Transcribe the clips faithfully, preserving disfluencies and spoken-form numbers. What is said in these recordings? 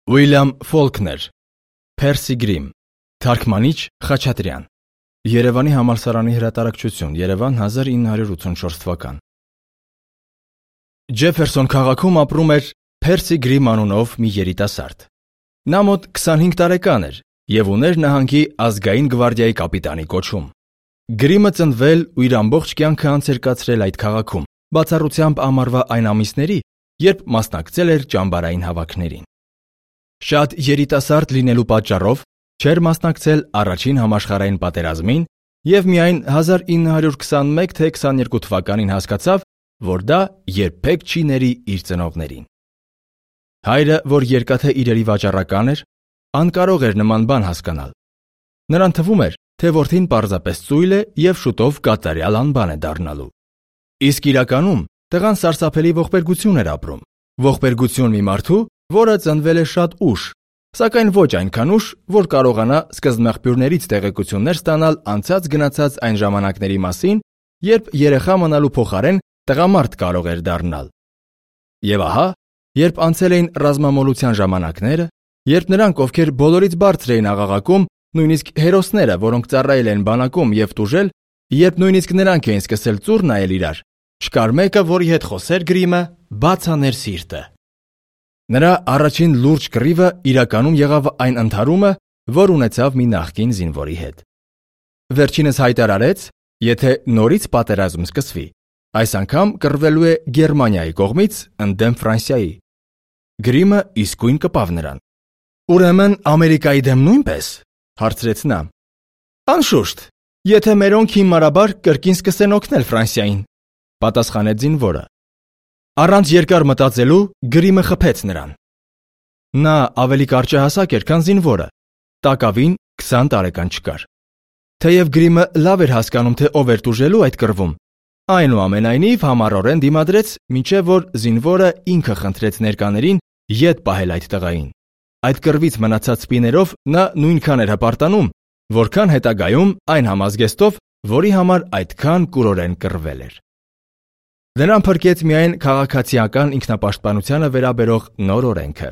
Ուիլյամ Ֆոլքներ, Փերսի Գրիմ, Թարգմանիչ Խաչատրյան, Երևանի համալսարանի հրատարակչություն, Երևան հազար ինը հարյուր ութսունչորս թվական։ Ջեֆերսոն քաղաքում ապրում էր Փերսի Գրիմ անունով մի երիտասարդ։ Նա մոտ քսանհինգ տարեկան էր և ուներ նահանգի ազգային գվարդիայի կապիտանի կոչում։ Գրիմը ծնվել ու իր ամբողջ կյանքը անց էր կացրել այդ քաղաքում, բացառությամբ ամառվա այն ամիսների, երբ մասնակցել էր ճամբարային հավաքներին։ Շատ երիտասարդ լինելու պատճառով չէր մասնակցել առաջին համաշխարհային պատերազմին և միայն հազար ինը հարյուր քսանմեկ թե քսաներկու թվականին հասկացավ, որ դա երբեք չի ների իր ծնողներին։ Հայրը, որ երկաթե իրերի վաճառական էր, անկարող էր նման բան հասկանալ։ Նրան թվում էր, թե որդին պարզապես ծույլ է և շուտով կատարյալ անբան է դառնալու։ Իսկ իրականում տղան սարսափելի ողբերգություն էր ապրում, ողբերգություն մի մարդու, որը ծնվել է շատ ուշ, սակայն ոչ այնքան ուշ, որ կարողանա սկզբնաղբյուրներից տեղեկություններ ստանալ անցած գնացած այն ժամանակների մասին, երբ երեխա մնալու փոխարեն տղամարդ կարող էր դառնալ։ Եվ ահա, երբ անցել էին ռազմամոլության ժամանակները, երբ նրանք, ովքեր բոլորից բարձր էին աղաղակում, նույնիսկ հերոսները, որոնք ծառայել են բանակում և տուժել, երբ նույնիսկ նրանք էին սկսել ծուռ նայել իրար, չկար մեկը, որի հետ խոսեր Գրիմը, բաց աներ սիրտը։ Նրա առաջին լուրջ կռիվը իրականում եղավ այն ընդհարումը, որ ունեցավ մի նախկին զինվորի հետ։ Վերջինս հայտարարեց, եթե նորից պատերազմ սկսվի, այս անգամ կռվելու է Գերմանիայի կողմից ընդդեմ Ֆրանսիայի։ Գրիմը իսկույն կպավ նրան։ Ուրեմն Ամերիկայի դեմ նույնպես, հարցրեց նա։ Անշուշտ, եթե մերոնք հիմարաբար կրկին սկսեն օգնել Ֆրանսիային, պատասխանեց զինվորը։ Առանց երկար մտածելու Գրիմը խփեց նրան։ Նա ավելի կարճահասակ էր, քան զինվորը, տակավին քսան տարեկան չկար։ Թեև Գրիմը լավ էր հասկանում, թե ով էր տուժելու այդ կռվում, այնուամենայնիվ համառորեն դիմադրեց, մինչև որ զինվորը ինքը խնդրեց ներկաներին ետ պահել այդ տղային։ Այդ կռվից մնացած սպիներով նա նույնքան էր հպարտանում, որքան հետագայում այն համազգեստով, որի համար այդքան կուրորեն կռվել էր։ Նրան փրկեց միայն քաղաքացիական ինքնապաշտպանությանը վերաբերող նոր օրենքը։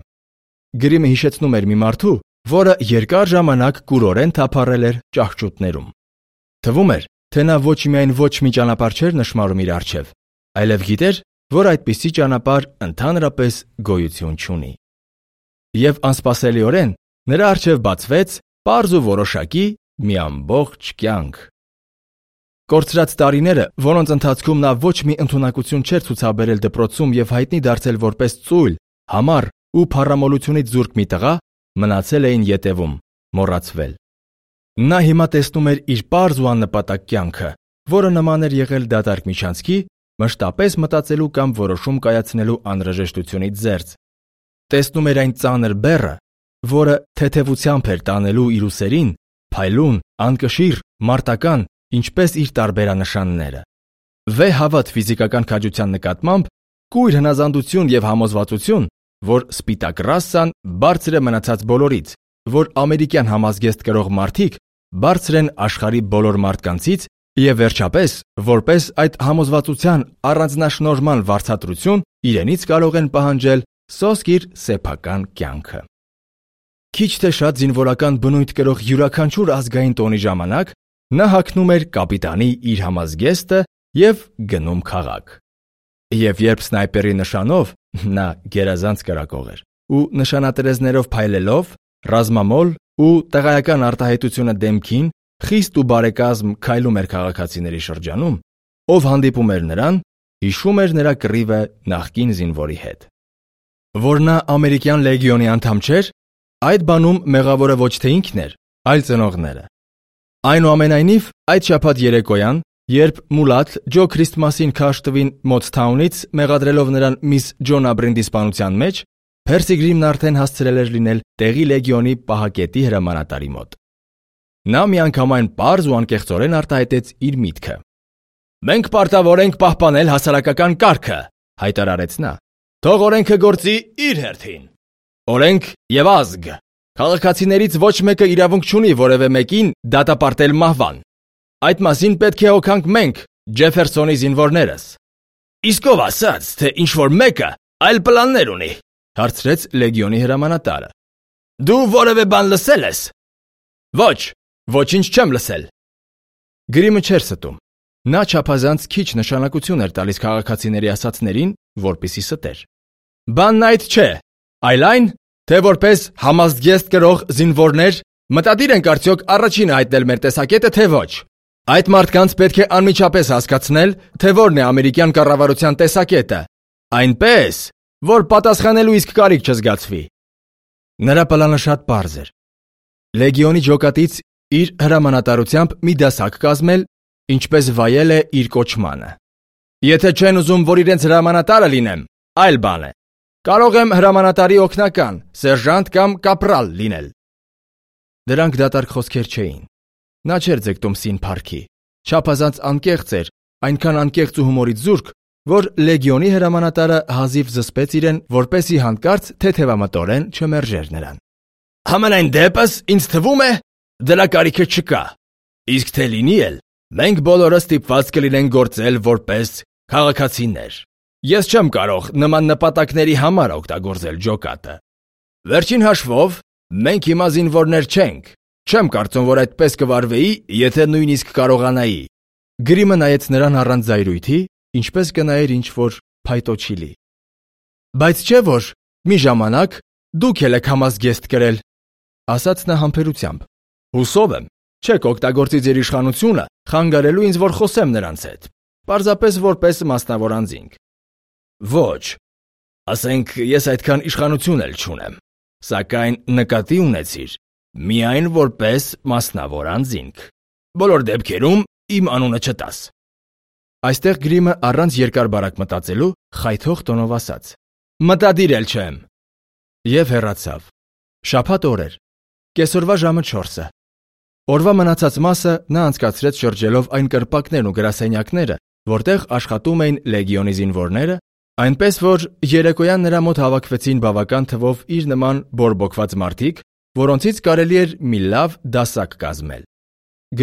Գրիմը հիշեցնում էր մի մարդու, որը երկար ժամանակ կուրորեն թափառել էր ճահճուտներում։ Թվում էր, թե նա ոչ միայն ոչ մի ճանապարհ չէր նշմարում իր առջև, այլև գիտեր, որ այդպիսի ճանապարհ ընդհանրապես գոյություն չունի։ Եվ անսպասելիորեն նրա առջև բացվեց պարզ ու որոշակի մի ամբողջ կյանք։ Կորցրած տարիները, որոնց ընթացքում նա ոչ մի ընդունակություն չէր ցուցաբերել դպրոցում և հայտնի դարձել որպես ծույլ, համառ ու փառամոլությունից զուրկ մի տղա, մնացել էին ետևում, մոռացվել։ Նա հիմա տեսնում էր իր պարզ ու աննպատակ կյանքը, որը նման էր եղել դատարկ միջանցքի, մշտապես մտածելու կամ որոշում կայացնելու անհրաժեշտությունից զերծ։ Տեսնում էր այն ծանր բեռը, որը թեթևությամբ էր տանելու իր ուսերին, փայլուն, անկշիռ, մարտական, ինչպես իր տարբերանշանները։ Վեհ հավատ ֆիզիկական քաջության նկատմամբ, կույր հնազանդություն և համոզվածություն, որ սպիտակ ռասան բարձր է մնացած բոլորից, որ ամերիկյան համազգեստ կրող մարդիկ բարձր են աշխարհի բոլոր մարդկանցից և վերջապես, որպես այդ համոզվածության առանձնաշնորհման վարձատրություն, իրենից կարող են պահանջել սոսկ իր սեփական կյանքը։ Քիչ թե շատ զինվորական բնույթ կրող յուրաքանչյուր ազգային տոնի ժամանակ նա հագնում էր կապիտանի իր համազգեստը և գնում քաղաք։ Եվ երբ սնայպերի նշանով, նա գերազանց կրակող էր, ու նշանատերեզներով փայլելով, ռազմամոլ ու տղայական արտահայտությունը դեմքին, խիստ ու բարեկազմ քայլում էր քաղաքացիների շրջանում, ով հանդիպում էր նրան, հիշում էր նրա կռիվը նախկին զինվորի հետ։ Որ նա ամերիկյան լեգիոնի անդամ չէր, այդ բանում մեղավորը ոչ թե ինքն էր, այլ ծնողները։ Այնուամենայնիվ, այդ շաբաթ երեկոյան, երբ Մուլաթ Ջո Քրիստմասին քարշ տվին Մոթթաունից, մեղադրելով նրան միս Ջոն Աբրենդի սպանության մեջ, Փերսի Գրիմն արդեն հասցրել էր լինել տեղի լեգիոնի պահակետի հրամանատարի մոտ։ Նա միանգամայն պարզ ու անկեղծորեն արտահայտեց իր միտքը։ Մենք պարտավոր ենք պահպանել հասարակական կարգը, հայտարարեց նա։ Թող օրենքը գործի իր հերթին։ Օրենք և ազգ։ Քաղաքացիներից ոչ մեկը իրավունք չունի որևէ մեկին դատապարտել մահվան։ Այդ մասին պետք է հոգանք մենք, Ջեֆերսոնի զինվորներս։ Իսկ ով ասաց, թե ինչ-որ մեկը այլ պլաններ ունի, հարցրեց լեգիոնի հրամանատարը, Դու որևէ բան լսել ես։ Ոչ, ոչինչ չեմ լսել։ Գրիմը չէր ստում։ Նա չափազանց քիչ նշանակություն էր տալիս քաղաքացիների ասածներին, որպեսզի ստեր։ Բանն այդ չէ, այլ այն, թե որպես համազգեստ կրող զինվորներ մտադիր ենք արդյոք առաջինը հայտնել մեր տեսակետը, թե ոչ։ Այդ մարդկանց պետք է անմիջապես հասկացնել, թե որն է ամերիկյան կառավարության տեսակետը, այնպես, որ պատասխանելու իսկ կարիք չզգացվի։ Նրա պլանը շատ պարզ էր։ Լեգիոնի ջոկատից իր հրամանատարությամբ մի դասակ կազմել, ինչպես վայել է իր կոչմանը։ Եթե չեն ուզում, որ իրենց հրամանատարը լինեմ, այլ բան է։ Կարող եմ հրամանատարի օգնական, սերժանտ կամ կապրալ լինել։ Դրանք դատարկ խոսքեր չէին։ Նա չէր ձգտում սին փառքի։ Չափազանց անկեղծ էր, այնքան անկեղծ ու հումորից զուրկ, որ լեգիոնի հրամանատարը հազիվ զսպեց իրեն, որպեսզի հանկարծ թեթևամտորեն չմերժեր նրան։ Համենայն դեպս ինձ թվում է, դրա կարիքը չկա։ Իսկ թե լինի էլ, մենք բոլորը ստիպված կլինենք գործել որպես քաղաքացիներ։ Ես չեմ կարող նման նպատակների համար օգտագործել ջոկատը։ Վերջին հաշվով, մենք հիմա զինվորներ չենք։ Չեմ կարծում, որ այդպես կվարվեի, եթե նույնիսկ կարողանայի։ Գրիմը նայեց նրան առանց զայրույթի, ինչպես կնայեր ինչ-որ փայտոչիլի։ Բայց չէ՞ որ մի ժամանակ դուք էլ եք համազգեստ կրել, ասաց նա համբերությամբ։ Հուսով եմ, չեք օգտագործի ձեր իշխանությունը խանգարելու ինձ, որ խոսեմ նրանց հետ, պարզապես որպես մասնավոր անձինք։ Ոչ, ասենք ես այդքան իշխանություն էլ չունեմ, սակայն նկատի ունեցիր, միայն որպես մասնավոր անձինք։ Բոլոր դեպքերում իմ անունը չտաս։ Այստեղ Գրիմը առանց երկար բարակ մտածելու խայթող տոնով ասաց. Մտադիր էլ չեմ։ Եվ հեռացավ։ Շաբաթ օր էր։ Կեսօրվա ժամը չորսը։ Օրվա մնացած մասը նա անցկացրեց շրջելով այն կրպակներն ու գրասենյակները, որտեղ աշխատում էին լեգիոնի զինվորները, այնպես որ երեկոյան նրա մոտ հավաքվեցին բավական թվով իր նման բորբոքված մարդիկ, որոնցից կարելի էր մի լավ դասակ կազմել։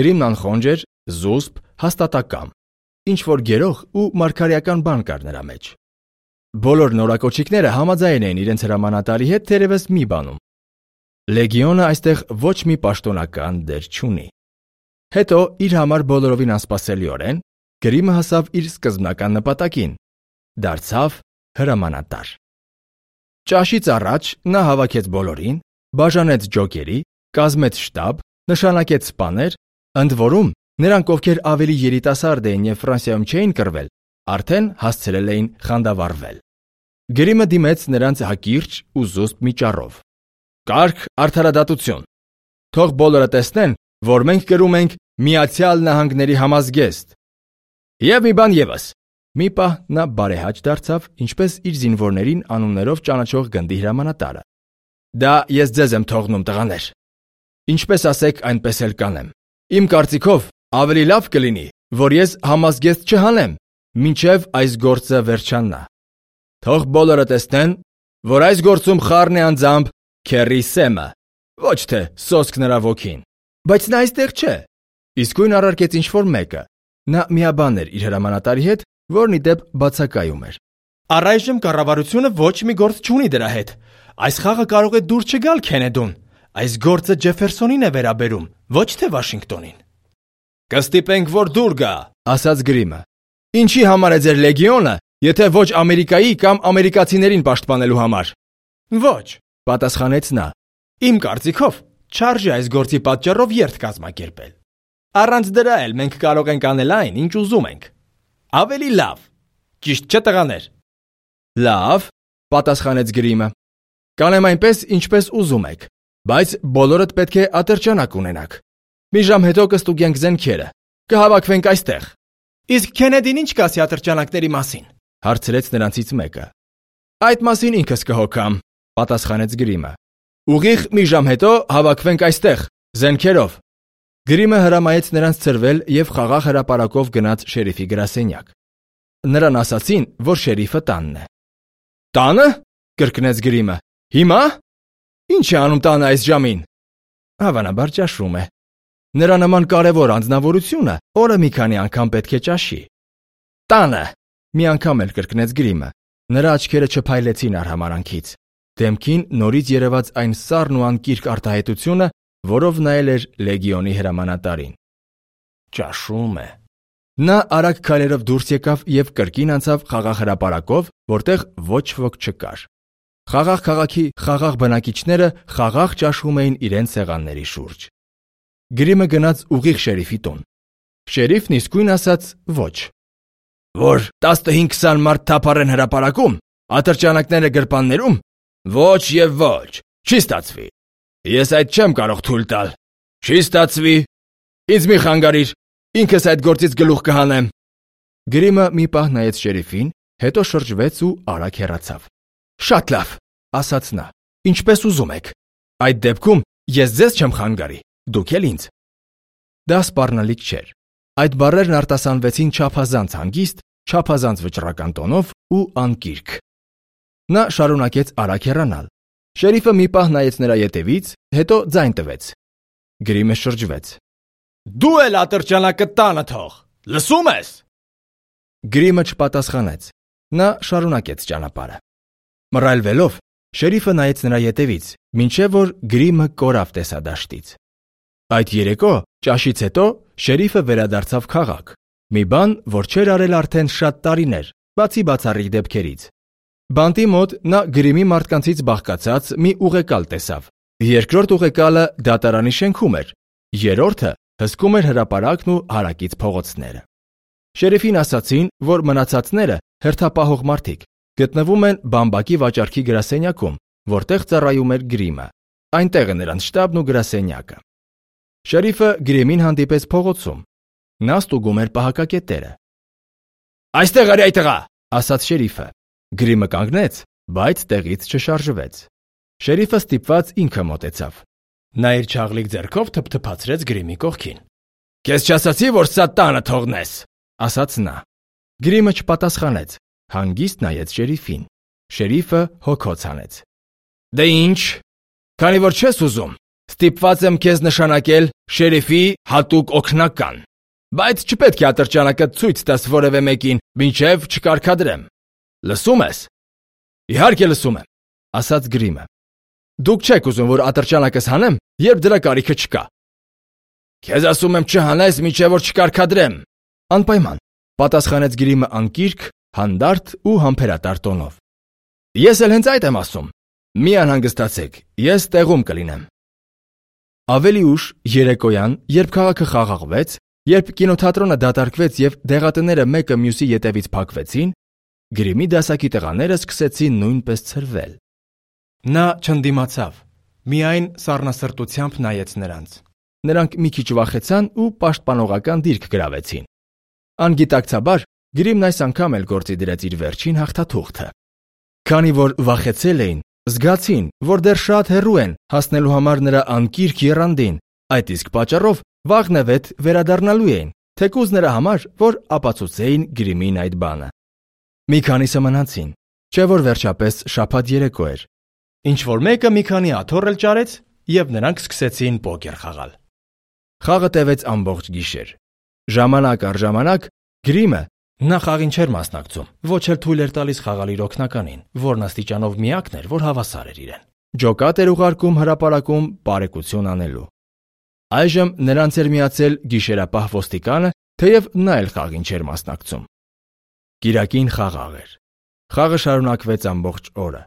Գրիմն անխոնջ էր, զուսպ, հաստատակամ, ինչ-որ գերող ու մարգարեական բան կար նրա մեջ։ Բոլոր նորակոչիկները համաձայն էին իրենց հրամանատարի հետ թերևս մի բանում։ Լեգիոնը այստեղ ոչ մի պաշտոնական դեր չունի։ Հետո իր համար բոլորովին անսպասելիորեն Գրիմը հասավ իր սկզբնական նպատակին՝ դարձավ հրամանատար։ Ճաշից առաջ նա հավաքեց բոլորին, բաժանեց ջոկերի, կազմեց շտաբ, նշանակեց սպաներ, ընդ որում նրանք, ովքեր ավելի երիտասարդ էին եւ Ֆրանսիայում չէին կռվել, արդեն հասցրել էին խանդավառվել։ Գրիմը դիմեց նրանց հակիրճ ու զուսպ մի ճառով։ Կարգ արդարադատություն։ Թող բոլորը տեսնեն, որ մենք կրում ենք Միացյալ Նահանգների համազգեստ։ Եվ մի բան եւս։ Մի պահ նա բարեհաճ դարձավ, ինչպես իր զինվորներին անուններով ճանաչող գնդի հրամանատարը։ Դա ես ձեզ եմ թողնում, տղաներ։ Ինչպես ասեք, այնպես էլ կանեմ։ Իմ կարծիքով ավելի լավ կլինի, որ ես համազգեստ չհանեմ, մինչև այս գործը վերջանա։ Թող բոլորը տեսնեն, որ այս գործում խառն է անձամբ Քերի Սեմը, ոչ թե սոսկ նրա ոգին։ Բայց նա այստեղ չէ։ Իսկույն առարկեց ինչ-որ մեկը։ Նա միաբան էր իր հրամանատարի հետ, որն ի դեպ բացակայում էր։ Առայժմ կառավարությունը ոչ մի գործ չունի դրա հետ։ Այս խաղը կարող է դուր չգալ Քենեդուն։ Այս գործը Ջեֆերսոնին է վերաբերում, ոչ թե Վաշինգտոնին։ Կստիպենք, որ դուր գա, ասաց Գրիմը։ Ինչի համար է ձեր լեգիոնը, եթե ոչ Ամերիկայի կամ ամերիկացիներին պաշտպանելու համար։ Ոչ, պատասխանեց նա։ Իմ կարծիքով չարժե այս գործի պատճառով երթ կազմակերպել։ Առանց դրա էլ մենք կարող ենք անել այն, ինչ ուզում ենք։ Ավելի լավ։ Ճիշտ չէ, տղաներ։ Լավ, պատասխանեց Գրիմը։ Կանեմ այնպես, ինչպես ուզում եք, բայց բոլորդ պետք է ատրճանակ ունենաք։ Մի ժամ հետո կստուգենք զենքերը։ Կհավաքվենք այստեղ։ Իսկ Քենեդին ինչ կասի ատրճանակների մասին, հարցրեց նրանցից մեկը։ Այդ մասին ինքս կհոգամ, պատասխանեց Գրիմը։ Ուղիղ մի ժամ հետո հավաքվենք այստեղ, զենքերով։ Գրիմը հրամայեց նրանց ծրվել եւ խաղաղ հրապարակով գնաց շերիֆի գրասենյակ։ Նրան ասացին, որ շերիֆը տանն է։ Տանը? Կրկնեց Գրիմը։ Հիմա? Ինչ է անում տանը այս ժամին։ Հավանաբար ճաշում է։ Նրա նման կարևոր անձնավորությունը օրը մի քանի անգամ պետք է ճաշի։ Տանը։ Մի անգամ էլ կրկնեց Գրիմը։ Նրա աչքերը չփայլեցին արհամարանքից։ դեմքին նորից երևաց այն սառն ու անկիրք արտահայտությունը, որով նայել էր լեգիոնի հրամանատարին։ Ճաշում է։ Նա արագ քայլերով դուրս եկավ եւ կրկին անցավ խաղաղ հրապարակով, որտեղ ոչ ոք չկար։ Խաղաղ քաղաքի խաղաղ բնակիչները խաղաղ ճաշում էին իրենց սեղանների շուրջ։ Գրիմը գնաց ուղիղ շերիֆի տուն։ Շերիֆն իսկույն ասաց ոչ։ Որ տասնհինգ-քսան մարդ թափառեն հրապարակում, ատրճանակները գրպաններում, ոչ եւ ոչ, չի ստացվի։ Ես այդ չեմ կարող թույլ տալ։ Չի ստացվի։ Ինձ մի խանգարիր, ինքս այդ գործից գլուխ կհանեմ։ Գրիմը մի պահ նայեց շերիֆին, հետո շրջվեց ու արագ հեռացավ։ Շատ լավ, ասաց նա, ինչպես ուզում եք։ Այդ դեպքում ես ձեզ չեմ խանգարի, դուք էլ ինձ։ Դա սպառնալիք չէր։ Այդ բառերն արտասանվեցին չափազանց հանգիստ, չափազանց վճռական տոնով ու անկիրք։ Նա շարունակեց արագ հեռանալ։ Շերիֆը մի պահ նայեց նրա ետևից, հետո ձայն տվեց։ Գրիմը շրջվեց։ Դու էլ ատրճանակը տանը թող, լսում ես։ Գրիմը չպատասխանեց։ Նա շարունակեց ճանապարհը։ Մռայլվելով, շերիֆը նայեց նրա ետևից, մինչև որ Գրիմը կորավ տեսադաշտից։ Այդ երեկո, ճաշից հետո, շերիֆը վերադարձավ քաղաք։ Մի բան, որ չէր արել արդեն շատ տարիներ, բացի բացառիկ դեպքերից։ Բանտի մոտ նա Գրիմի մարդկանցից բաղկացած մի ուղեկալ տեսավ։ Երկրորդ ուղեկալը դատարանի շենքում էր, երրորդը հսկում էր հրապարակն ու հարակից փողոցները։ Շերիֆին ասացին, որ մնացածները հերթապահող մարդիկ գտնվում են բամբակի վաճառքի գրասենյակում, որտեղ ծառայում էր Գրիմը։ Այնտեղ է նրանց շտաբն ու գրասենյակը։ Շերիֆը Գրիմին հանդիպեց փողոցում։ Նա ստուգում էր պահակակետերը։ Այստեղ արի այդ տղա, ասաց շերիֆը։ Գրիմը կանգնեց, բայց տեղից չշարժվեց։ Շերիֆը ստիպված ինքը մոտեցավ։ Նա իր չաղլիկ ձեռքով թփթփացրեց Գրիմի կողքին։ Քեզ չասացի, որ սա տանը թողնես, ասաց նա։ Գրիմը չպատասխանեց, հանգիստ նայեց շերիֆին։ Շերիֆը հոգոց հանեց։ Դե ինչ, քանի որ չես ուզում, ստիպված եմ քեզ նշանակել շերիֆի հատուկ օգնական, բայց չպետք է ատրճանակը ցույց տաս որևէ մեկին, մինչև չկարգադրեմ։ Լսում ես։ Իհարկե լսում եմ, ասաց Գրիմը։ Դուք չեք ուզում, որ ատրճանակս հանեմ, երբ դրա կարիքը չկա։ Քեզ ասում եմ չհանես, մինչև որ չկարգադրեմ։ Անպայման, պատասխանեց Գրիմը անկիրք, հանդարտ ու համբերատար տոնով։ Ես էլ հենց այդ եմ ասում։ Մի անհանգստացեք, ես տեղում կլինեմ։ Ավելի ուշ երեկոյան, երբ քաղաքը խաղաղվեց, երբ կինոթատրոնը դատարկվեց եւ դեղատները մեկը մյուսի ետևից փակվեցին, Գրիմի դասակի տղաները սկսեցին նույնպես ցրվել։ Նա չընդդիմացավ, միայն սառնասրտությամբ նայեց նրանց։ Նրանք մի քիչ վախեցան ու պաշտպանողական դիրք գրավեցին։ Անգիտակցաբար Գրիմն այս անգամ էլ գործի դրեց իր վերջին հաղթաթուղթը։ Քանի որ վախեցել էին, զգացին, որ դեռ շատ հեռու են հասնելու համար նրա անկիրք եռանդին, այդ իսկ պատճառով վաղնևեթ վերադառնալու էին, թեկուզ նրա համար, որ ապացուցեին Գրիմին այդ բանը։ Մի քանիսը մնացին, չէ որ վերջապես շաբաթ երեկո էր։ Ինչ որ մեկը մի քանի աթոռ էլ ճարեց, եւ նրանք սկսեցին պոկեր խաղալ։ Խաղը տևեց ամբողջ գիշեր։ Ժամանակ առ ժամանակ Գրիմը նա խաղին չէր մասնակցում, ոչ էլ թույլ էր տալիս խաղալ իր օգնականին, որն աստիճանով միակն էր, որ հավասար էր իրեն։ Ջոկատ էր ուղարկում հրապարակում բարեկություն անելու։ Այժմ նրանց էր միացել գիշերապահ ոստիկանը, թեև նա էլ խաղին չէր մասնակցում։ Կիրակին խաղաղ էր։ Խաղը շարունակվեց ամբողջ օրը։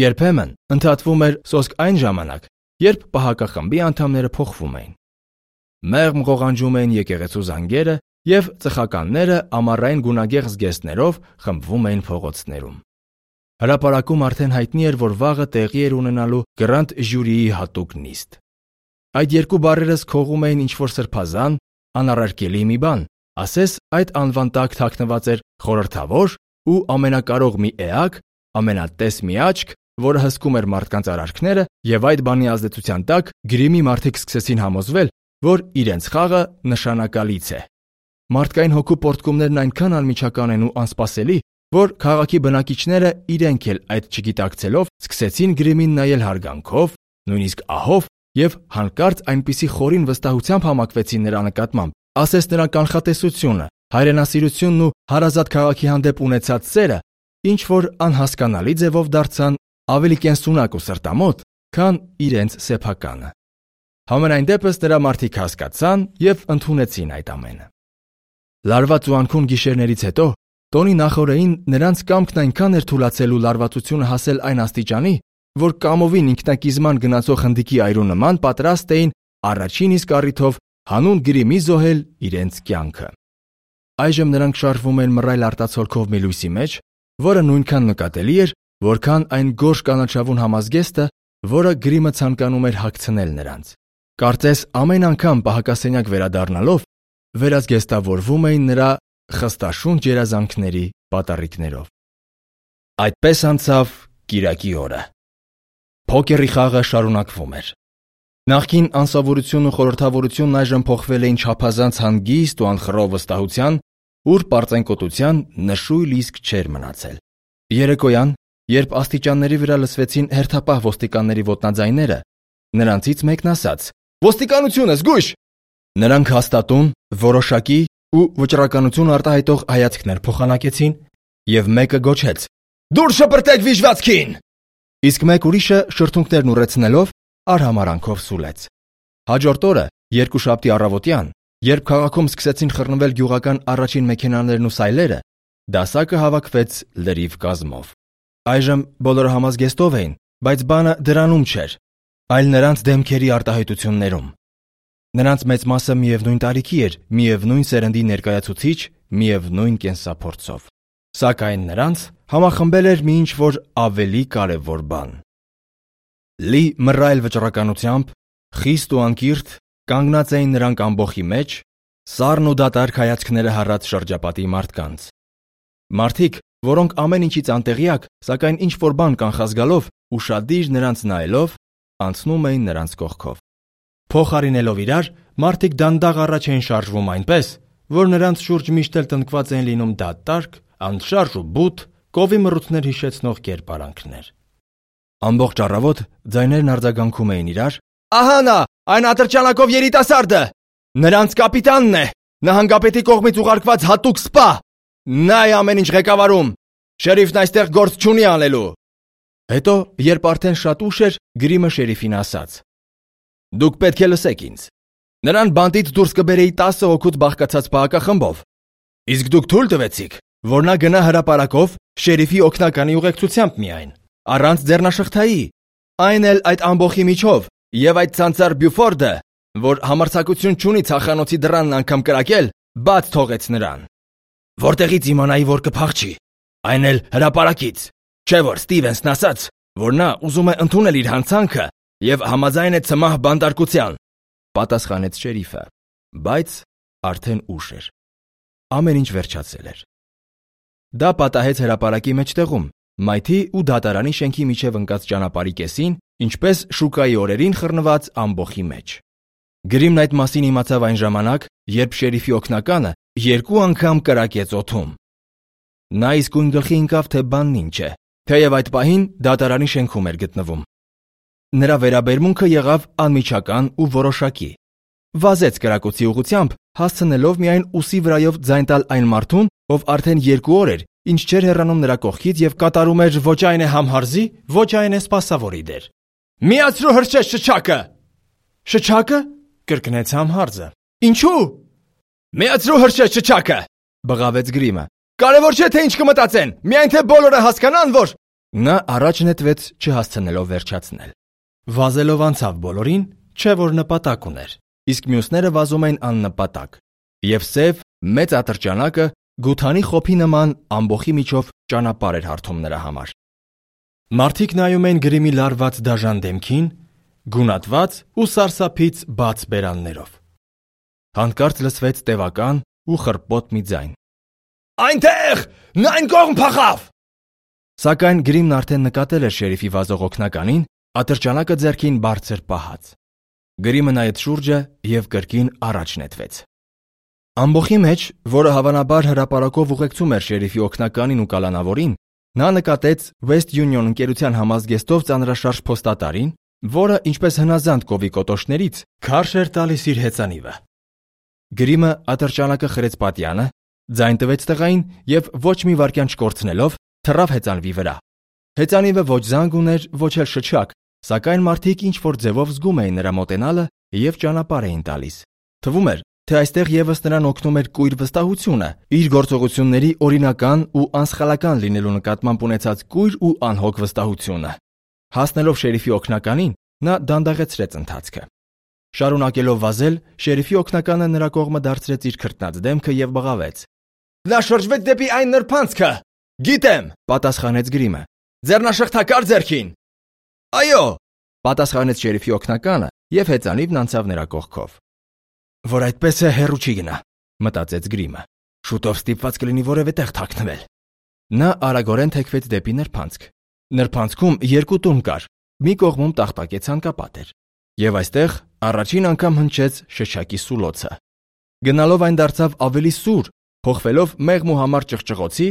Երբեմն ընդհատվում էր սոսկ այն ժամանակ, երբ պահակախմբի անդամները փոխվում էին։ Մեղմ ղողանջում էին եկեղեցու զանգերը եւ ծխականները ամառային գունագեղ զգեստներով խմբվում էին փողոցներում։ Հրապարակում արդեն հայտնի էր, որ վաղը տեղի էր ունենալու Գրանդ ժյուրիի հատուկ նիստ։ Այդ երկու բառերս քողում էին ինչ-որ սրբազան, անառարկելի մի բան, ասես այդ անվան տակ թաքնված էր խորհրդավոր ու ամենակարող մի էակ, ամենատես մի աչք, որը հսկում էր մարդկանց արարքները, եւ այդ բանի ազդեցության տակ Գրիմի մարդիկ սկսեցին համոզվել, որ իրենց խաղը նշանակալից է։ Մարդկային հոգու պորտկումներն այնքան անմիջական են ու անսպասելի, որ քաղաքի բնակիչները իրենք էլ այդ չգիտակցելով սկսեցին Գրիմին նայել հարգանքով, նույնիսկ ահով եւ հանկարծ այնպիսի խորին վստահությամբ համակվեցին նրա նկատմամբ, ասես նրա կանխատեսությունը, հայրենասիրությունն ու հարազատ քաղաքի հանդեպ ունեցած սերը ինչ որ անհասկանալի ձևով դարձան ավելի կենսունակ ու սրտամոտ, քան իրենց սեփականը։ Համենայն դեպս նրա մարդիկ հասկացան և ընդունեցին այդ ամենը։ Լարված ու անքուն գիշերներից հետո տոնի նախօրեին նրանց կամքն այնքան էր թուլացել ու լարվածությունը հասել այն աստիճանի, որ կամովին ինքնակիզման գնացող հնդիկի այրու նման պատրաստ էին առաջին իսկ առիթով հանուն գրիմի զոհել իրենց կյանքը։ Այժմ նրանք շարժվում են մռայլ արտացոլքով մի լույսի մեջ, որը նույնքան նկատելի էր, որքան այն գորշ կանաչավուն համազգեստը, որը գրիմը ցանկանում էր հագցնել նրանց։ Կարծես ամեն անգամ պահակասենյակ վերադառնալով վերազգեստավորվում էին նրա խստաշունչ երազանքների պատառիկներով։ Այդպես անցավ կիրակի օրը։ Փոքերի խաղը շարունակվում էր։ Նախկին անսովորությունն ու խորհրդավորությունն այժմ փոխվել էին չափազանց հանգիստ ու անխռով վստահության, ուր պարծենկոտության նշույլ իսկ չէր մնացել։ Երեկոյան, երբ աստիճանների վրա լսվեցին հերթապահ ոստիկանների ոտնաձայները, նրանցից մեկն ասաց. «Ոստիկանություն է, զգույշ»։ Նրանք հաստատուն, որոշակի ու վճռականություն արտահայտող հայացքներ փոխանակեցին, և մեկը գոչեց. «Դուրս շպրտեք վիժվածքին»։ Իսկ մեկ ուրիշը շրթունքներն ուռեցնելով արհամարհանքով սուլեց։ Հաջորդ օրը, երկուշաբթի առավոտյան, երբ քաղաքում սկսեցին խռնվել գյուղական առաջին մեքենաներն ու սայլերը, դասակը հավաքվեց լրիվ կազմով։ Այժմ բոլորը համազգեստով էին, բայց բանը դրանում չէր, այլ նրանց դեմքերի արտահայտություններում։ Նրանց մեծ մասը միևնույն տարիքի էր, միևնույն սերնդի ներկայացուցիչ, միևնույն կենսափորձով։ Սակայն նրանց համախմբել էր մի ինչ-որ ավելի կարևոր բան։ Լի մռայլ վճռականությամբ, խիստ ու անկիրթ, կանգնած էին նրանք ամբոխի մեջ, սառն ու դատարկ հայացքները հառած շրջապատի մարդկանց։ Մարդիկ, որոնք ամեն ինչից անտեղյակ, սակայն ինչ-որ բան կանխազգալով, ուշադիր նրանց նայելով, անցնում էին նրանց կողքով։ Փոխարինելով իրար, մարդիկ դանդաղ առաջ էին շարժվում այնպես, որ նրանց շուրջ միշտ էլ տնկված էին լինում դատարկ, անշարժ ու բութ, կովի մռութներ հիշեցնող կերպարանքներ։ Ամբողջ առավոտ ձայներն արձագանքում էին իրար. «Ահա նա, այն ատրճանակով երիտասարդը, նրանց կապիտանն է, նահանգապետի կողմից ուղարկված հատուկ սպա, նա է ամեն ինչ ղեկավարում, շերիֆն այստեղ գործ չունի անելու»։ Հետո, երբ արդեն շատ ուշ էր, գրիմը շերիֆին ասաց. «Դուք պետք է լսեք ինձ. նրան բանտից դուրս կբերեի տասը հոգուց բաղկացած պահակախմբով, իսկ դուք թույլ տվեցիք, որ նա գնա հրապարակով շերիֆի օգնականի ուղեկցությամբ միայն, առանց ձեռնաշղթայի, այն էլ այդ ամբոխի միջով, և այդ ցանցար Բյուֆորդը, որ համարձակություն չունի ցախանոցի դռանն անգամ կրակել, բաց թողեց նրան։ Որտեղից իմանայի, որ կփախչի, այն էլ հրապարակից, չէ որ Ստիվենսն ասաց, որ նա ուզում է ընդունել իր հանցանքը և համաձայն է ցմահ բանտարկության», պատասխանեց շերիֆը, բայց արդեն ուշ էր։ Ամեն ինչ վերջացել էր։ Դա պատահեց հրապարակի մեջտեղում, մայթի ու դատարանի շենքի միջև ընկած ճանապարհի կեսին, ինչպես շուկայի օրերին խռնված ամբոխի մեջ։ Գրիմն այդ մասին իմացավ այն ժամանակ, երբ շերիֆի օգնականը երկու անգամ կրակեց օդում։ Նա իսկույն գլխի ընկավ, թե բանն ինչ է, թեև այդ պահին դատարանի շենքում էր գտնվում։ Նրա վերաբերմունքը եղավ անմիջական ու որոշակի։ Վազեց կրակոցի ուղղությամբ, հասցնելով միայն ուսի վրայով ձայն տալ այն մարդուն, ով արդեն երկու օր էր, ինչ չէր հեռանում նրա կողքից և կատարում էր ոչ այն է համհարզի, ոչ այն է սպասավորի դեր։ «Միացրու հրշեջ շչակը»։ «Շչակը»։ Կրկնեց համհարզը։ «Ինչու»։ «Միացրու հրշեջ շչակը», բղավեց գրիմը։ «Կարևոր չէ, թե ինչ կմտածեն, միայն թե բոլորը հասկանան, որ…» Նա առաջ նետվեց, չհասցնելով վերջացնել։ Վազելով անցավ բոլորին, չէ որ նպատակ ուներ, իսկ մյուսները վազում էին աննպատակ, և սև, մեծ ատրճանակը գութանի խոփի նման ամբոխի միջով ճանապարհ էր հարթում նրա համար։ Մարդիկ նայում էին գրիմի լարված դաժան դեմքին, գունատված ու սարսափից բաց բերաններով։ Հանկարծ լսվեց տևական ու խռպոտ մի ձայն. «Այնտեղ, նա այն կողմ փախավ»։ Սակայն գրիմն արդեն նկատել էր շերիֆի վազող օգնականին, ատրճանակը ձեռքին բարձր պահած։ Գրիմը նայեց շուրջը և կրկին առաջ նետվեց։ Ամբոխի մեջ, որը հավանաբար հրապարակով ուղեկցում էր շերիֆի օգնականին ու կալանավորին, նա նկատեց West Union ընկերության համազգեստով ծանրաշարժ փոստատարին, որը, ինչպես հնազանդ կովի կոտոշներից, քարշ էր տալիս իր հեծանիվը։ Գրիմը ատրճանակը խրեց պատյանը, ձայն տվեց տղային և ոչ մի վայրկյան չկորցնելով թռավ հեծանվի վրա։ Հեծանիվը ոչ զանգ ուներ, ոչ էլ շչակ, սակայն մարդիկ ինչ-որ ձևով զգում էին նրա մոտենալը և ճանապարհ էին տալիս։ Թվում էր, թե այստեղ ևս նրան օգնում էր կույր վստահությունը, իր գործողությունների օրինական ու անսխալական լինելու նկատմամբ ունեցած կույր ու անհոգ վստահությունը։ Հասնելով շերիֆի օգնականին, նա դանդաղեցրեց ընթացքը։ Շարունակելով վազել, շերիֆի օգնականը նրա կողմը դարձրեց իր քրտնած դեմքը և բղավեց. «Նա շրջվեց դեպի այն նրբանցքը»։ «Գիտեմ», պատասխանեց Գրիմը։ «Ձեռնաշղթակա՞ր ձեռքին»։ «Այո», պատասխանեց շերիֆի օգնականը և հեծանիվն անցավ նրա կողքով։ «Որ այդպես է, հեռու չի գնա», մտածեց Գրիմը։ «Շուտով ստիպված կլինի որևէ տեղ թաքնվել»։ Նա արագորեն թեքվեց դեպի նրբանցք։ Նրբանցքում երկու տուն կար, մի կողմում տախտակե ցանկապատ էր, և այստեղ առաջին անգամ հնչեց շշակի սուլոցը։ Գնալով այն դարձավ ավելի սուր, փոխվելով մեղմ ու համար ճղճղոցի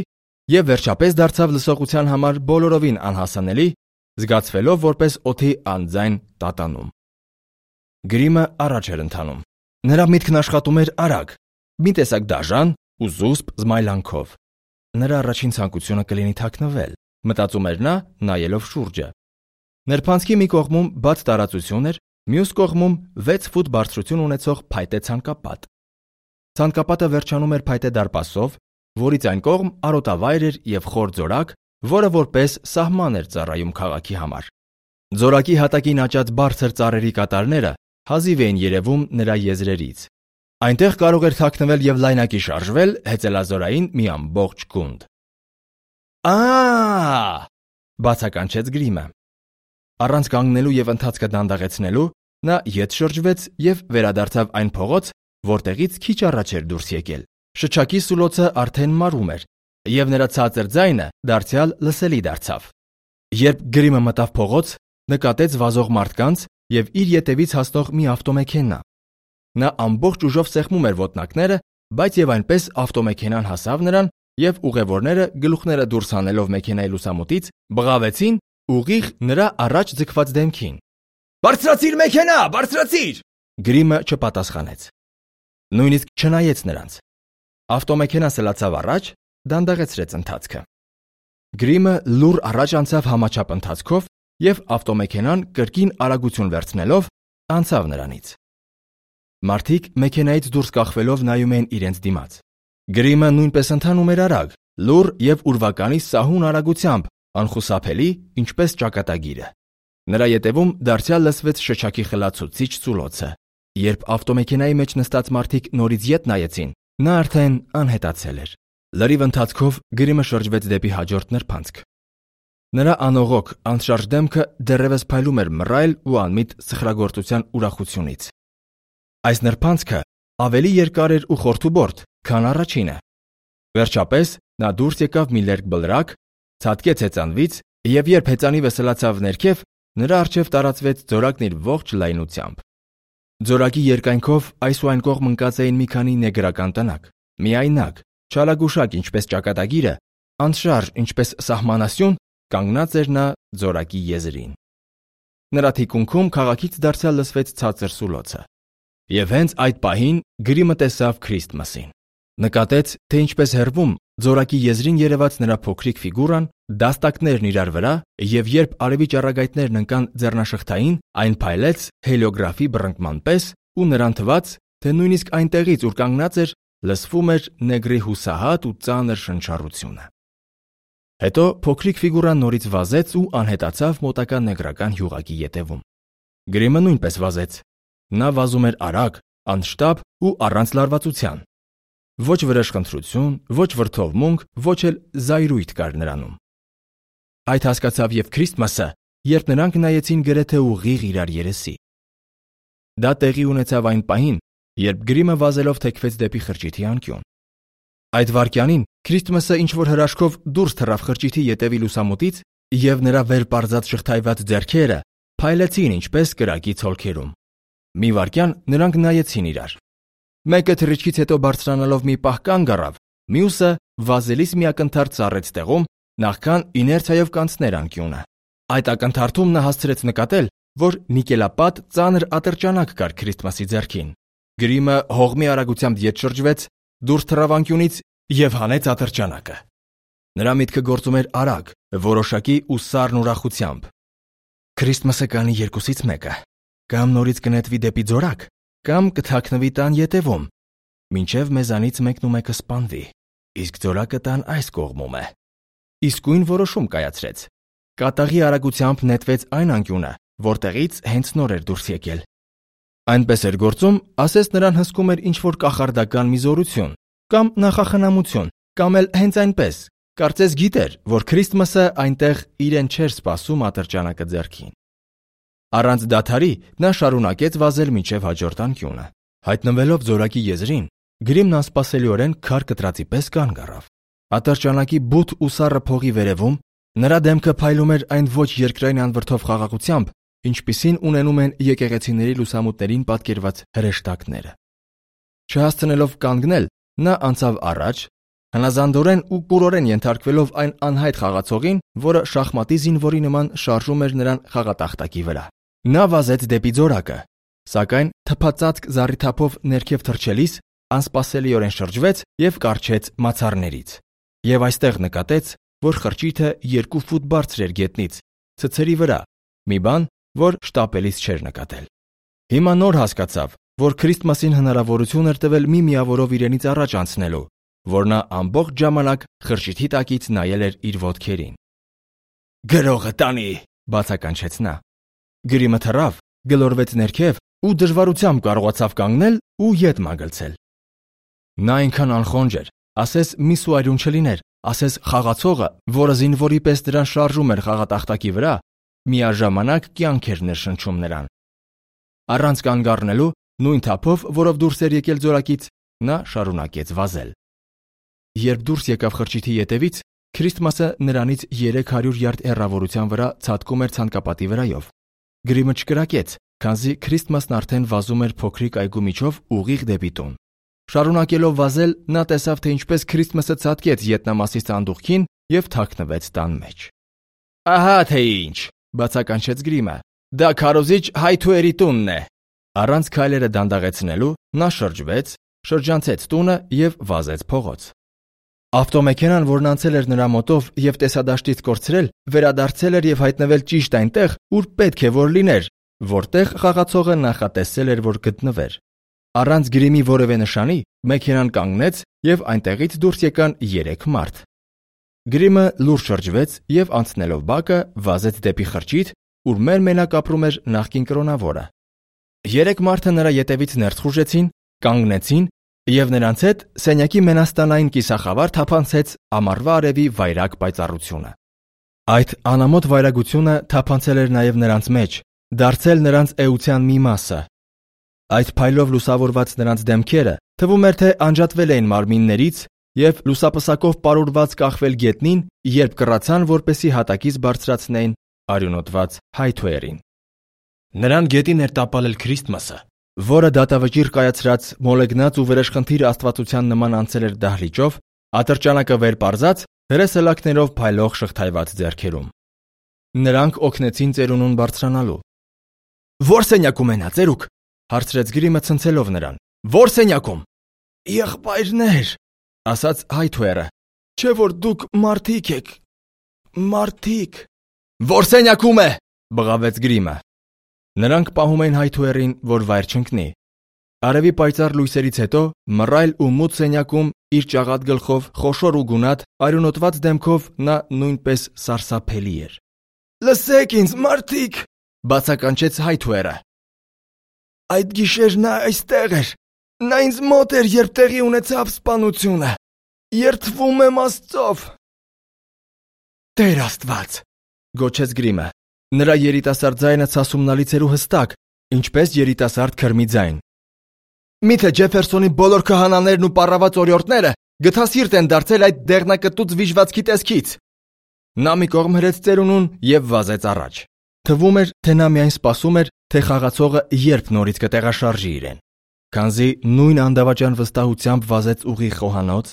և վերջապես դարձավ լսողության համար բոլորովին անհասանելի, զգացվելով որպես օդի անձայն տատանում։ Գրիմը առաջ էր ընթանում։ Նրա միտքն աշխատում էր արագ, մի տեսակ դաժան ու զուսպ զմայլանքով։ Նրա առաջին ցանկությունը կլինի թաքնվել, մտածում էր նա, նայելով շուրջը։ Նրբանցքի մի կողմում բաց տարածություն էր, մյուս կողմում վեց ֆուտ բարձրություն ունեցող փայտե ցանկապատ։ Ցանկապատը վերջանում էր փայտե դարպասով, որից այն կողմ արոտավայր էր և խոր ձորակ, որը որպես սահման էր ծառայում քաղաքի համար։ Ձորակի հատակին աճած բարձր ծառերի կատարները հազիվ էին երևում նրա եզրերից։ Այնտեղ կարող էր թաքնվել և լայնակի շարժվել հեծելազորային մի ամբողջ գունդ։ «Ա՜», բացականչեց Գրիմը։ Առանց կանգնելու և ընթացքը դանդաղեցնելու, նա ետ շրջվեց և վերադարձավ այն փողոց, որտեղից քիչ առաջ էր դուրս եկել։ Շչակի սուլոցը արդեն մարում էր, և նրա ցածր ձայնը դարձյալ լսելի դարձավ։ Երբ Գրիմը մտավ փողոց, նկատեց վազող մարդկանց և իր ետևից հասնող մի ավտոմեքենա։ Նա ամբողջ ուժով սեղմում էր ոտնակները, բայց և այնպես ավտոմեքենան հասավ նրան, և ուղևորները, գլուխները դուրս հանելով մեքենայի լուսամուտից, բղավեցին ուղիղ նրա առաջ ձգված դեմքին։ «Բարձրացիր մեքենա, բարձրացիր»։ Գրիմը չպատասխանեց։ Նույնիսկ չնայեց նրանց։ Ավտոմեքենան սլացավ առաջ, դանդաղեցրեց ընթացքը։ Գրիմը լուռ առաջ անցավ համաչափ ընթացքով և ավտոմեքենան կրկին արագություն վերցնելով անցավ նրանից։ Մարդիկ մեքենայից դուրս կախվելով նայում էին իրենց դիմաց։ Գրիմը նույնպես ընթանում էր արագ, լուռ և ուրվականի սահուն արագությամբ, անխուսափելի, ինչպես ճակատագիրը։ Նրա ետևում դարձյալ լսվեց շչակի խլացուցիչ սուլոցը։ Երբ ավտոմեքենայի մեջ նստած մարդիկ նորից ետ նայեցին, նա արդեն անհետացել էր։ Լրիվ ընթացքով Գրիմը շրջվեց դեպի հաջորդ նրբանցք։ Նրա անողոք, անշարժ դեմքը դեռևս փայլում էր մռայլ ու անմիտ սխրագործության ուրախությունից։ Այս նրբանցքը ավելի երկար էր ու խորթուբորդ, քան առաջինը։ Վերջապես նա դուրս եկավ մի լերկ բլրակ, ցատկեց հեծանվից, և երբ հեծանիվը սլացավ ներքև, նրա առջև տարածվեց ձորակն իր ողջ լայնությամբ։ Ձորակի երկայնքով այս ու այն կողմ ընկած էին մի քանի նեգրական տնակ, միայնակ, չալագուշակ ինչպես ճակատագիրը, անշարժ ինչպես սահմանասյուն, կանգնած էր նա ձորակի եզրին։ Նրա թիկունքում քաղաքից դարձյալ լսվեց ցածր սուլոցը։ Եվ հենց այդ պահին Գրիմը տեսավ Քրիստմասին։ Նկատեց, թե ինչպես հեռվում ձորակի եզրին երևաց նրա փոքրիկ ֆիգուրան, դաստակներն իրար վրա, և երբ արևի ճառագայթներն ընկան ձեռնաշղթային, այն փայլեց հելիոգրաֆի բռնկման պես, ու նրան թվաց, թե նույնիսկ այնտեղից, ուր կանգնած էր, լսվում էր նեգրի հուսահատ ու ծանր շնչառությունը։ Հետո փոքրիկ ֆիգուրան նորից վազեց ու անհետացավ մոտակա նեգրական հյուղակի ետևում։ Գրիմը նույնպես վազեց։ Նա վազում էր արագ, անշտապ ու առանց լարվածության։ Ոչ վրեժխնդրություն, ոչ վրդովմունք, ոչ էլ զայրույթ կար նրանում։ Այդ հասկացավ և Քրիստմասը, երբ նրանք նայեցին գրեթե ուղիղ իրար երեսի։ Դա տեղի ունեցավ այն պահին, երբ Գրիմը վազելով թեքվեց դեպի խրճիթի անկյուն։ Այդ վայրկյանին Քրիստմասը ինչ-որ հրաշքով դուրս թռավ խրճիթի ետևի լուսամուտից, և նրա վեր պարզած շղթայված ձեռքերը փայլեցին ինչպես կրակի ցոլքերում։ Մի վայրկյան նրանք նայեցին իրար։ Մեկը թռիչքից հետո բարձրանալով մի պահ կանգ առավ, մյուսը վազելիս մի ակնթարթ ծառեց տեղում, նախքան իներցիայով կանցներ անկյունը։ Այդ ակնթարթում նա հասցրեց նկատել, որ նիկելապատ ծանր ատրճանակ կար Քրիստմասի ձեռքին։ Գրիմը հողմի արագությամբ ետ շրջվեց, դուրս թռավ անկյունից և հանեց ատրճանակը։ Նրա միտքը գործում էր արագ, որոշակի ու սառն ուրախությամբ։ Քրիստմասը կանի երկուսից մեկը, կամ նորից կնետվի դեպի ձորակ, կամ կթաքնվի տան ետևում, մինչև մեզանից մեկն ու մեկը սպանվի, իսկ ձորակը տան այս կողմում է։ Իսկույն որոշում կայացրեց։ Կատաղի արագությամբ նետվեց այն անկյունը, որտեղից հենց նոր էր դուրս եկել։ Այնպես էր գործում, ասես նրան հսկում էր ինչ-որ կախարդական մի զորություն, կամ նախախնամություն, կամ էլ հենց այնպես, կարծես գիտեր, որ Քրիստմասը այնտեղ իրեն չէր սպասում ատրճանակը ձեռքին։ Առանց դադարի նա շարունակեց վազել մինչև հաջորդ անկյունը։ Հայտնվելով ձորակի եզրին, Գրիմն անսպասելիորեն քար կտրածի պես կանգ առավ։ Ատրճանակի բութ ու սառը փողի վերևում նրա դեմքը փայլում էր այն ոչ երկրային անվրդով խաղաղությամբ, ինչպիսին ունենում են եկեղեցիների լուսամուտներին պատկերված հրեշտակները։ Չհասցնելով կանգնել, նա անցավ առաջ, հնազանդորեն ու կուրորեն ենթարկվելով այն անհայտ խաղացողին, որը շախմատի զինվորի նման շարժում էր նրան խաղատախտակի վրա։ Նա վազեց դեպի ձորակը, սակայն թփածածկ զառիթափով ներքև թռչելիս անսպասելիորեն շրջվեց եւ կառչեց մացառներից։ Եվ այստեղ նկատեց, որ խրճիթը երկու ֆուտ բարձր էր գետնից, ցցերի վրա, մի բան, որ շտապելիս չէր նկատել։ Հիմա նոր հասկացավ, որ Քրիստմասին հնարավորություն էր տվել մի միավորով իրենից առաջ անցնելու, որ նա ամբողջ ժամանակ խրճիթի տակից նայել էր իր ոտքերին։ «Գրողը տանի», բացականչեց նա։ Գրիմը թռավ, գլորվեց ներքև ու դժվարությամբ կարողացավ կանգնել ու ետ մագլցել։ Նա այնքան անխոնջ էր, ասես մի սուարյուն չլիներ, ասես խաղացողը, որը զինվորի պես դրան շարժում էր խաղատախտակի վրա, միաժամանակ կյանք էր ներշնչում նրան։ Առանց կանգ առնելու, նույն թափով, որով դուրս էր եկել ձորակից, նա շարունակեց վազել։ Երբ դուրս եկավ խրճիթի ետևից, Քրիստմասը նրանից երեք հարյուր յարդ հեռավորության վրա ցատկում էր ցանկապատի վրայով։ Գրիմը չկրակեց, քանզի Քրիստմասն արդեն վազում էր փոքրիկ այգու միջով ուղիղ դեպի տուն։ Շարունակելով վազել, նա տեսավ, թե ինչպես Քրիստմասը ցատկեց ետնամասի սանդուղքին եւ թաքնվեց տան մեջ։ «Ահա թե ինչ», բացականչեց Գրիմը։ «Դա քարոզիչ հայթուերի տունն է»։ Առանց քայլերը դանդաղեցնելու նա շրջվեց, շրջանցեց տունը եւ վազեց փողոց։ Ավտոմեքենան, որն անցել էր նրա մոտով եւ տեսադաշտից կորցրել, վերադարձել էր եւ հայտնվել ճիշտ այնտեղ, ուր պետք է որ լիներ, որտեղ խաղացողը նախատեսել էր, որ գտնվեր։ Առանց Գրիմի որևէ նշանի, մեքենան կանգնեց եւ այնտեղից դուրս եկան երեք մարդ։ Գրիմը լուրջ շրջվեց եւ անցնելով բակը վազեց դեպի խրճիթ, ուր մերմենակ ապրում էր նախկին կրոնավորը։ Երեք մարդը նրա ետևից ներս խուժեցին, կանգնեցին եւ նրանց հետ սենյակի մենաստանային կիսախավար թափանցեց ամառվա արևի վայրագ պայծառությունը։ Այդ անամոթ վայրագությունը թափանցել էր նաեւ նրանց մեջ, դարձել նրանց էության մի մասը։ Այդ փայլով լուսավորված նրանց դեմքերը թվում էր, թե անջատվել էին մարմիններից եւ լուսապսակով պարուրված կախվել գետնին, երբ կռացան, որպեսի հատակից բարձրացնեին արյունոտված հայթուերին։ Նրան գետին էր տապալել Քրիստմասը, որը դատավճիռ կայացրած մոլեգնած ու վրեժխնդիր աստվածության նման անցել էր դահլիճով, ատրճանակը վեր պարզած, հրեսելակներով փայլող շղթայված ձեռքերում։ Նրանք օգնեցին ծերունուն բարձրանալու։ «Ո՞ր սենյակում են նա, ծերուկ», հարցրեց Գրիմը ցնցելով նրան։ «Ո՞ր սենյակում»։ «Եղբայրներ», ասաց հայթուերը, «չէ որ դուք մարդիկ եք, մարդիկ»։ «Ո՞ր սենյակում է», բղավեց Գրիմը։ Նրանք պահում էին հայթուերին, որ վայր չընկնի։ Արևի պայծառ լույսերից հետո մռայլ ու մութ սենյակում իր ճաղատ գլխով, խոշոր ու գունատ, արյունոտված դեմքով նա նույնպես սարսափելի էր։ «Լսեք ինձ, մարդիկ», բացականչեց հայթուերը։ «Այդ գիշեր նա այստեղ էր։ Նա ինձ մոտ էր, երբ տեղի ունեցավ սպանությունը։ Երդվում եմ Աստծով»։ «Տեր Աստված», գոչեց Գրիմը։ Նրա երիտասարդ ձայնը ցասումնալից էր ու հստակ, ինչպես երիտասարդ քրմի ձայն։ «Միթե Ջեֆերսոնի բոլոր քահանաներն ու պառաված օրիորդները գթասիրտ են դարձել այդ դեղնակտուց վիժվածքի տեսքից»։ Նա մի կողմ հրեց ծերունուն եւ վազեց առաջ։ Թվում էր, թե նա միայն սպասում էր, թե խաղացողը երբ նորից կտեղաշարժի իրեն։ Քանզի նույն անդավաճան վստահությամբ վազեց ուղիղ խոհանոց,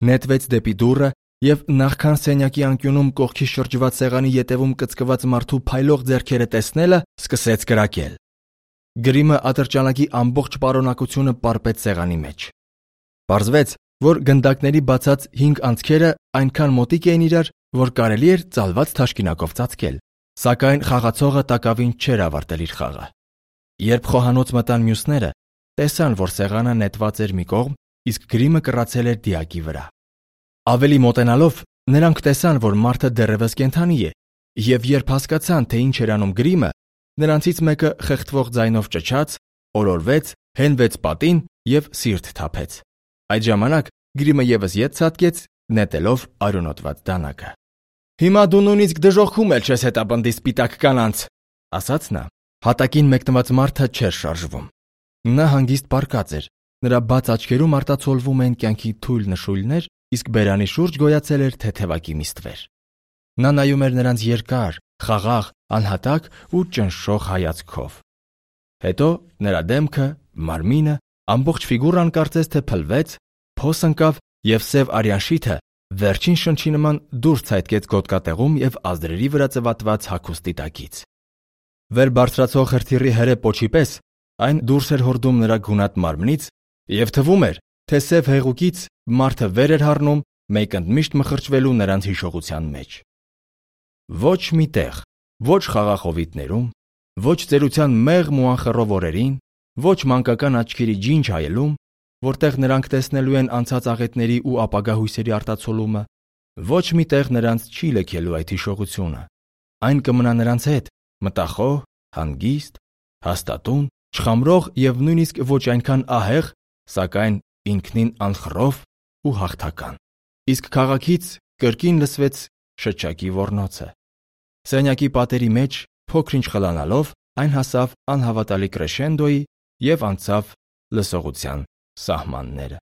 նետվեց դեպի դուռը եւ նախքան սենյակի անկյունում կողքի շրջված սեղանի ետևում կծկված մարդու փայլող ձեռքերը տեսնելը, սկսեց կրակել։ Գրիմը ատրճանակի ամբողջ պարունակությունը պարպեց սեղանի մեջ։ Պարզվեց, որ գնդակների բացած հինգ անցքերը այնքան մոտիկ էին իրար, որ կարելի էր ծալված թաշկինակով ծածկել, սակայն խաղացողը տակավին չէր ավարտել իր խաղը։ Երբ խոհանոց մտան մյուսները, տեսան, որ սեղանը նետված էր մի կողմ, իսկ գրիմը կռացել էր դիակի վրա։ Ավելի մոտենալով, նրանք տեսան, որ մարդը դեռևս կենդանի է, եւ երբ հասկացան, թե ինչ էր անում գրիմը, նրանցից մեկը խեղդվող ձայնով ճչաց, օրորվեց, հենվեց պատին եւ սիրտ թափեց։ Այդ ժամանակ գրիմը եւս ետ ցատկեց, նետելով արյունոտված դանակը։ «Հիմա դու նույնիսկ դժոխքում էլ չես հետապնդի սպիտակ կանանց», ասաց նա։ Հատակին մեկնված մարդը չէր շարժվում։ Նա հանգիստ պառկած էր, նրա բաց աչքերում արտացոլվում էին կյանքի թույլ նշույլներ, իսկ բերանի շուրջ գոյացել էր թեթևակի միստվեր։ Նա նայում էր նրանց երկար, խաղաղ, անհատակ ու ճնշող հայացքով։ Հետո նրա դեմքը, մարմինը, ամբողջ ֆիգուրան կարծես թե փլվեց, փոս ընկավ եւ սև արյան շիթը վերջին շնչի նման դուրս ցայտկեց գոտկատեղում եւ ազդրերի վրա ծվատված հագուստի տակից։ Վեր բարձրացող հրթիռի հրե պոչի պես այն դուրս էր հորդում նրա գունատ մարմնից եւ թվում էր, թե սև հեղուկից մարդը վեր էր հառնում, մեկ ընդմիշտ մխրճվելու նրանց հիշողության մեջ։ Ոչ մի տեղ, ոչ խաղախովիտներում, ոչ ծերության մեղմ ու անխռով օրերին, ոչ մանկական աչքերի ջինջ հայելում, որտեղ նրանք տեսնելու են անցած աղետների ու ապագա հույսերի արտացոլումը, ոչ մի տեղ նրանց չի լքելու այդ հիշողությունը։ Այն կմնա նրանց հետ, մտախոհ, հանգիստ, հաստատուն, չխամրող եւ նույնիսկ ոչ այնքան ահեղ, սակայն ինքնին անխռով ու հաղթական։ Իսկ քաղաքից կրկին լսվեց շչակի ոռնոցը։ Սենյակի պատերի մեջ, փոքր-ինչ խլանալով, այն հասավ անհավատալի կրեշենդոյի եւ անցավ լսողության սահմանները։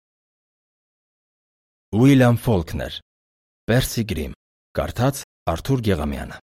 Ուիլյամ Ֆոլքներ, Պերսի Գրիմ, կարդաց Արթուր Գեղամյանը։